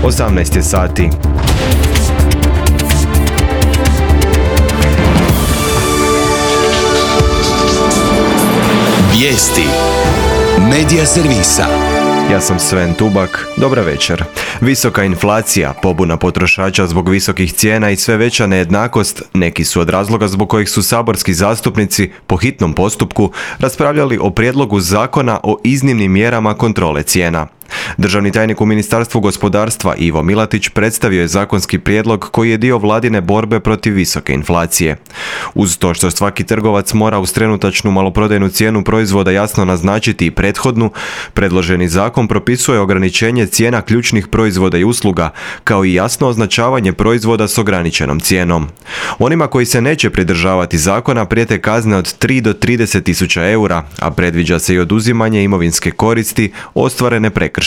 18 je sati. Vijesti Medija servisa. Ja sam Sven Tubak, dobra večer. Visoka inflacija, pobuna potrošača zbog visokih cijena i sve veća nejednakost neki su od razloga zbog kojih su saborski zastupnici po hitnom postupku raspravljali o prijedlogu zakona o iznimnim mjerama kontrole cijena. Državni tajnik u Ministarstvu gospodarstva Ivo Milatić predstavio je zakonski prijedlog koji je dio vladine borbe protiv visoke inflacije. Uz to što svaki trgovac mora uz trenutačnu maloprodajnu cijenu proizvoda jasno naznačiti i prethodnu, predloženi zakon propisuje ograničenje cijena ključnih proizvoda i usluga, kao i jasno označavanje proizvoda s ograničenom cijenom. Onima koji se neće pridržavati zakona prijete kazne od 3 do 30.000 eura, a predviđa se i oduzimanje imovinske koristi ostvarene prekršajem.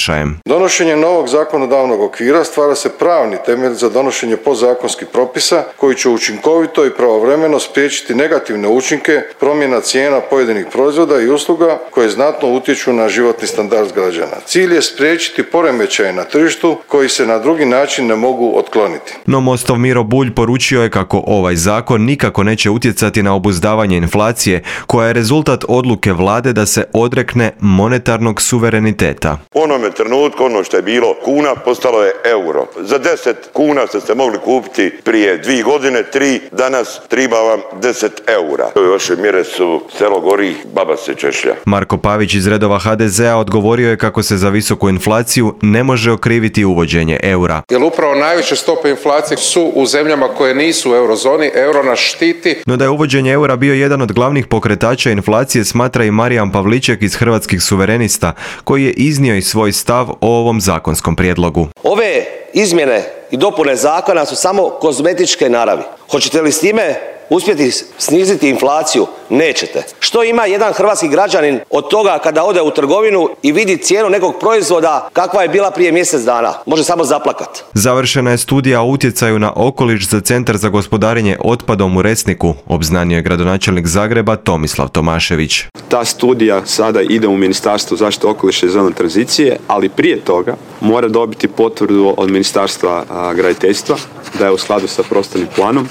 Donošenjem novog zakonodavnog okvira stvara se pravni temelj za donošenje podzakonskih propisa koji će učinkovito i pravovremeno spriječiti negativne učinke promjena cijena pojedinih proizvoda i usluga koje znatno utječu na životni standard građana. Cilj je spriječiti poremećaje na tržištu koji se na drugi način ne mogu otkloniti. No Mostov Miro Bulj poručio je kako ovaj zakon nikako neće utjecati na obuzdavanje inflacije, koja je rezultat odluke vlade da se odrekne monetarnog suvereniteta. U onome trenutku ono što je bilo kuna postalo je euro. Za 10 kuna ste mogli kupiti prije 2 godine, 3, danas triba vam 10 eura. Ove vaše mjere su selo gori, baba se češlja. Marko Pavić iz redova HDZ-a odgovorio je kako se za visoku inflaciju ne može okriviti uvođenje eura. Jer upravo najveće stope inflacije su u zemljama koje nisu u eurozoni, euro nas štiti. No da je uvođenje eura bio jedan od glavnih pokretača inflacije smatra i Marijan Pavliček iz Hrvatskih suverenista, koji je iznio i svoj stav o ovom zakonskom prijedlogu. Ove izmjene i dopune zakona su samo kozmetičke naravi. Hoćete li s time uspjeti sniziti inflaciju? Nećete. Što ima jedan hrvatski građanin od toga kada ode u trgovinu i vidi cijenu nekog proizvoda kakva je bila prije mjesec dana? Može samo zaplakat. Završena je studija o utjecaju na okoliš za Centar za gospodarenje otpadom u Resniku, obznanio je gradonačelnik Zagreba Tomislav Tomašević. Ta studija sada ide u Ministarstvo zaštite okoliša i zelene tranzicije, ali prije toga mora dobiti potvrdu od Ministarstva graditeljstva da je u skladu sa prostornim planom.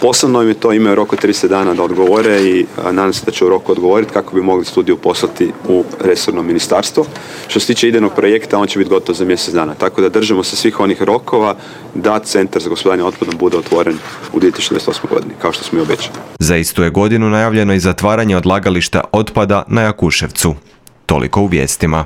Posebno im je to imaju rok od 30 dana da odgovore i nadam se da će u roku odgovoriti kako bi mogli studiju poslati u resorno ministarstvo. Što se tiče idejnog projekta, on će biti gotov za mjesec dana. Tako da držimo se svih onih rokova da Centar za gospodarenje otpadom bude otvoren u 2028. godini, kao što smo i obećali. Za istu je godinu najavljeno i zatvaranje odlagališta otpada na Jakuševcu. Toliko u vijestima.